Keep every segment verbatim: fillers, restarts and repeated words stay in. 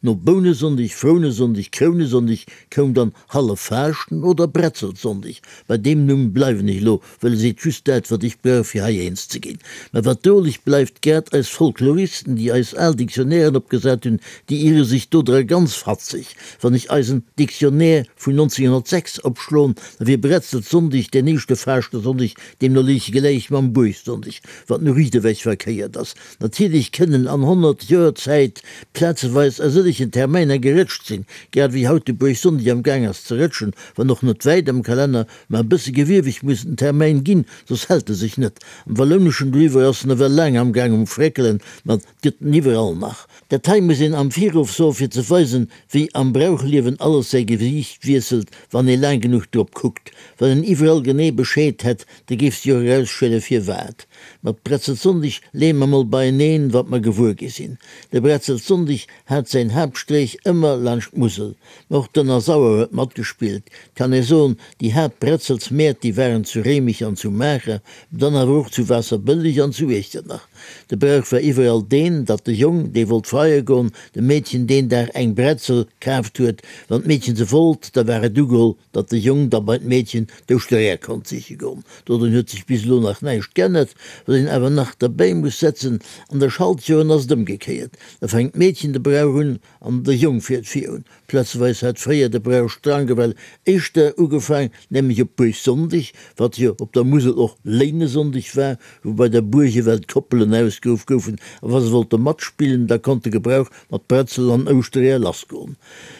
No Bounesonndeg, Frounesonndeg, Krounesonndeg koum dann Halleffaaschten oder Bretzelsonndeg. Bei deem Numm bleiwen ech elo, well e seet just dat, wat ech brauch, fir hei eens ze ginn. Mä wat droleg bleift, grad eis Folkloristen, déi eis al Dictionnairen opgesat hunn, déi ire sech dodra ganz fatzeg. Wann ech eisen Dictionnaire vun nonzénghonnertsechs opschloen, da wier Bretzelsonndeg deen éischte Faaschtesonndeg, deemno léich e gläich mam Buergsonndeg, wat nu riicht ewech verkéiert ass. Natierlech kënnen an honnert Joer Zäit plazeweis a sëllegen Termäiner gerëtscht sinn, grad ewéi haut de Buergsonndeg am Gaang ass ze rëtschen, wann och net wäit am Kalenner, ma e bësse gewieweg muss den Termäin ginn, soss hält e sech net. Am Wallouneschen doriwwer ass en ewell laang am Gaang um Fréckelen, ma 't gëtt en iwwerall nach. Dat hei muss een am Virrof soen, fir ze weisen, wéi am Brauchliewen alles säi Gesiicht wiesselt, wann ee laang genuch drop kuckt. Wann een iwwerall genee Bescheed hätt, da géif sech och erausschéile firwat. Mat Bretzelsonndeg leeë mer mol beieneen, wat mer gewuer gi sinn. De Bretzelsonndeg hat säin Haaptstréich ëmmer laanscht d'Musel. Ma och d'Ënnersauer huet matgespillt. 't kann ee soen, déi Haaptbretzelsmäert, déi waren zu Réimech an zu Maacher, dann awer och zu Waasserbëlleg an zu Iechternach. De Brauch war iwwerall deen, datt de Jong, dee wollt freie goen, dem Meedchen deen Dag eng Bretzel kaaft huet. Wann d'Meedchen se wollt, da war et ugeholl, datt de Jong da bei d'Meedchen d'Ouschtereeër konnt siche goen. Dodrun huet sech bis elo nach näischt g'ännert. Wat een awer nach derbäi muss setzen, an de Schaltjoren ass et ëmgekéiert, da fänkt d'Meedchen de Brauch un an de Jong fiert virun. Plazeweis hat fréier de Brauch strang ewell éischter ugefaang, nämlech op Buergsonndeg, wat jo op der Musel och Léinesonndeg war, wou bei der Buerg ewell d'Koppelen ausgeruff goufen, a wa se wollte matspillen, da konnt de Gebrauch mat Bretzel an Ouschtereeër lassgoen.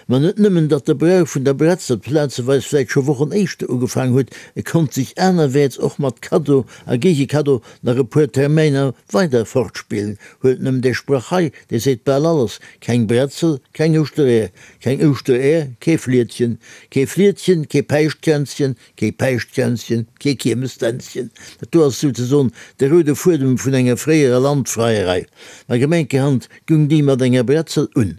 Ma net nëmmen, datt de Brauch vun der Bretzel plazeweis vläicht scho Wochen éischter ugefaang huet, e konnt sech anerwäerts och mat Kaddo a Géigekaddo nach e puer Termäiner weider fortspillen. Huelt nëmmen dee Sprach hei, dee seet bal alles, Keng Bretzel, keng Ouschtereeër, keng Ouschtereeër, kee Fliedchen, kee Fliedchen, kee Päischtkränzchen, kee Päischtkränzchen, kee Kiermesdänzchen. Dat do ass souzesoen de roude Fuedem vun enger fréierer Landfreierei. Ma gemenkerhand gung déi mat enger Bretzel un.